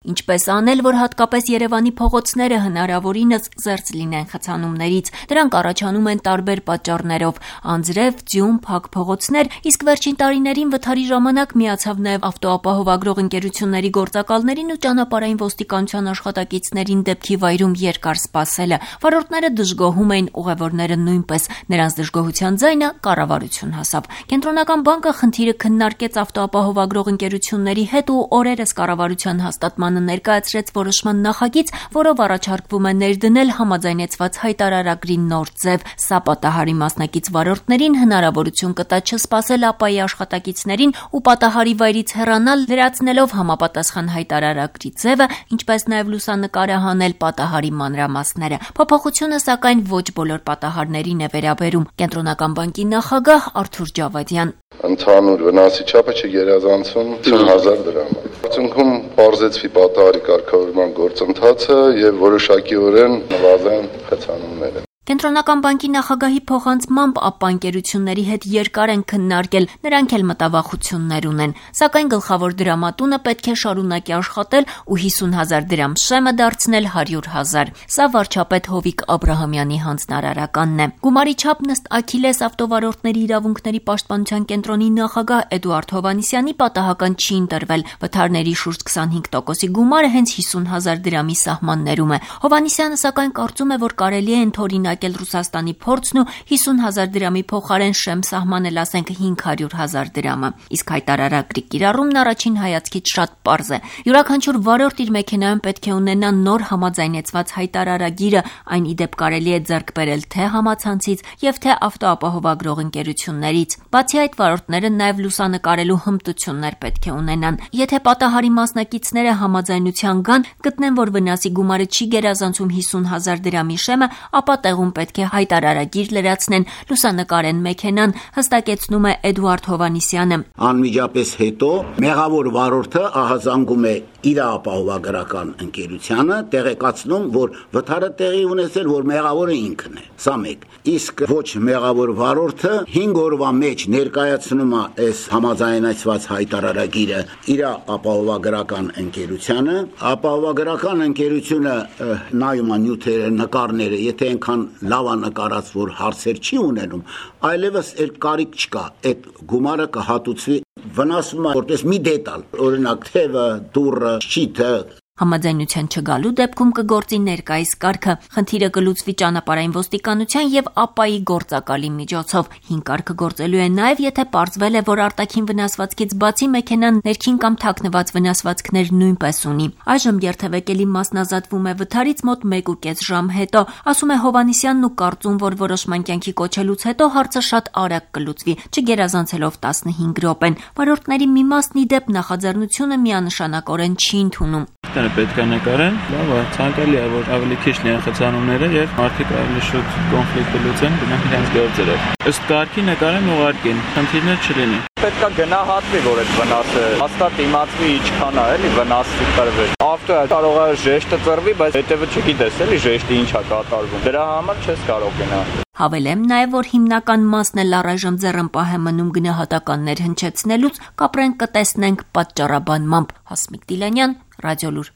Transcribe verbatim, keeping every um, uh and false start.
Ինչպես անել, որ հատկապես Երևանի փողոցները հնարավորինս զերծ լինեն խցանումներից։ Դրանք առաջանում են տարբեր պատճառներով՝ անձրև, ձյուն, փակ փողոցներ, իսկ վերջին տարիներին վթարի ժամանակ միացավ նաև ավտոապահովագրող ընկերությունների գործակալներին ու ճանապարհային ոստիկանության աշխատակիցներին դեպքի վայրում երկար սպասելը։ Վարորդները դժգոհում էին, ուղևորները նույնպես։ Նրանց դժգոհության ձայնը կառավարություն հասավ։ Կենտրոնական բանկը խնդիրը քննարկեց ավտոապահովագրող ընկերությունների հետ ու օրերս կառավարության հաստատմանը ներկայացրեց որոշման նախագիծ, որով առաջարկվում է ներդնել համաձայնեցված հայտարարագրի նոր ձև։ Սա պատահարի մասնակից վարորդներին հնարավորություն կտա չսպասել ԱՊԱ-ի աշխատակիցներին ու պատահարի վայրից հեռանալ, լրացնելով համապատասխան հայտարարագրի ձևը, ինչպես նաև լուսանկարը հանել պատահարի մանրամասները։ Փոփոխությունը, սակայն, ոչ բոլոր պատահարներին է վերաբերում։ Կենտրոնական բանկի նախագահ Արթուր Ջավադյան. Ընդհանուր վնասի չափը չգերազանցում ութ հազար դրամ։ Արդյունքում պարզեցվի պատահարի կարգավորման գործընթացը եւ որոշակիորեն նվազեն խցանումները։ Կենտրոնական բանկի նախագահի փոխանցմամբ ԱՊԱ ընկերությունների հետ երկար են քննարկել, նրանք էլ մտավախություններ ունեն, սակայն գլխավոր դրամատունը պետք է շարունակի աշխատել ու հիսուն հազար դրամ շեմը դարձնել հարյուր հազար։ Սա վարչապետ Հովիկ Աբրահամյանի հանձնարարականն է։ Գումարի չափն ըստ Աքիլես ավտովարորդների իրավունքների պաշտպանության կենտրոնի նախագահ Էդուարդ Հովհաննիսյանի պատահական չի ընտրվել։ Վթարների շուրջ քսանհինգ տոկոսի գումարը հենց հիսուն հազար դրամի սահմաններում է։ Հովհաննիսյանը սակայն կարծում է, որ կարելի է ընդօրինակ Ռուսաստանի փորձն ու հիսուն հազար դրամի փոխարեն շեմ սահմանել, ասենք հինգ հարյուր հազար դրամը։ Իսկ հայտարարագրի կիրառումն առաջին հայացքից շատ պարզ է։ Յուրաքանչյուր վարորդ իր մեքենայում պետք է ունենա նոր համաձայնեցված հայտարարագիրը, այն ի դեպ կարելի է ձեռք բերել թե համացանցից եւ թե ավտոապահովագրող ընկերություններից։ Բացի այդ, վարորդները նաեւ լուսանկարելու հմտություններ պետք է ունենան։ Եթե պատահարի մասնակիցները համաձայնության գան, գտնեն, որ վնասի գումարը չի գերազանցում հիսուն հազար դրամի շեմը, ապա տեղում պետք է հայտարարագիր լրացնեն, լուսանկարեն մեքենան, հստակեցնում է Էդուարդ Հովհաննիսյանը։ Անմիջապես հետո մեղավոր վարորդը ահազանգում է իր ապահովագրական ընկերությանը, տեղեկացնում, որ վթարը տեղի ունեցել, որ մեղավորը ինքն է։ Սա մեկ։ Իսկ ոչ մեղավոր վարորդը հինգ օրվա մեջ ներկայացնում է այս համաձայնեցված հայտարարագիրը իր ապահովագրական ընկերությանը, ապահովագրական ընկերությունը նայում է նյութերը, նկարները, եթե այնքան լավ է նկարած, որ հարցեր չի ունենում, այլևս այդ կարիք չկա, այդ գումարը կհատուցվի, վնասվում է որպես մի դետալ, օրինակ թևը, դուռը, շիթը։ Համաձայնության չգալու դեպքում կգործի ներկայիս կարգը։ Խնդիրը կլուծվի ճանապարհային ոստիկանության եւ ԱՊԱ-ի գործակալի միջոցով։ Հին կարգը գործելու է նաեւ, եթե պարզվել է, որ արտաքին վնասվածքից բացի մեքենան ներքին կամ թաքնված վնասվածքներ նույնպես ունի։ Այժմ երթևեկելի մասն ազատվում է վթարից մոտ մեկ ու կես ժամ հետո, ասում է Հովհաննիսյանն ու կարծում, որ որոշման կյանքի կոչելուց հետո հարցը շատ արագ կլուծվի, չգերազանցելով տասնհինգ րոպեն։ Վարորդների մի մասն ի դեպ նախաձեռնությունը միանշանակորեն չի ընդունում։ Պետք է նկարեն, լավ է, ցանկալի է, որ ավելի քիչ լինեն խցանումները եւ մարդիկ ավելի շուտ կոնֆլիկտը լուծեն գնանք իրենց գործերով։ Ըստ կարգի նկարեն ուղարկեն, խնդիրներ չլինի։ Պետք է գնահատվի, որ այդ վնասը հաստատ իմացվի ինչքան է, էլի վնասի տրվել։ Ավտոը կարող է ժեշտը ծռվի, բայց հետևը չգիտես, էլի ժեշտը ինչ է կատարվում։ Դրա համար չես կարող գնահատել։ Հավելեմ նաև, որ հիմնական մասն էլ առայժմ ձեռնպահ է մնում գնահատականներ հնչեցնելուց, կապրենք կտեսնենք պատճառաբանմամբ։ Հասմիկ Դիլանյան, Ռադիոլուր։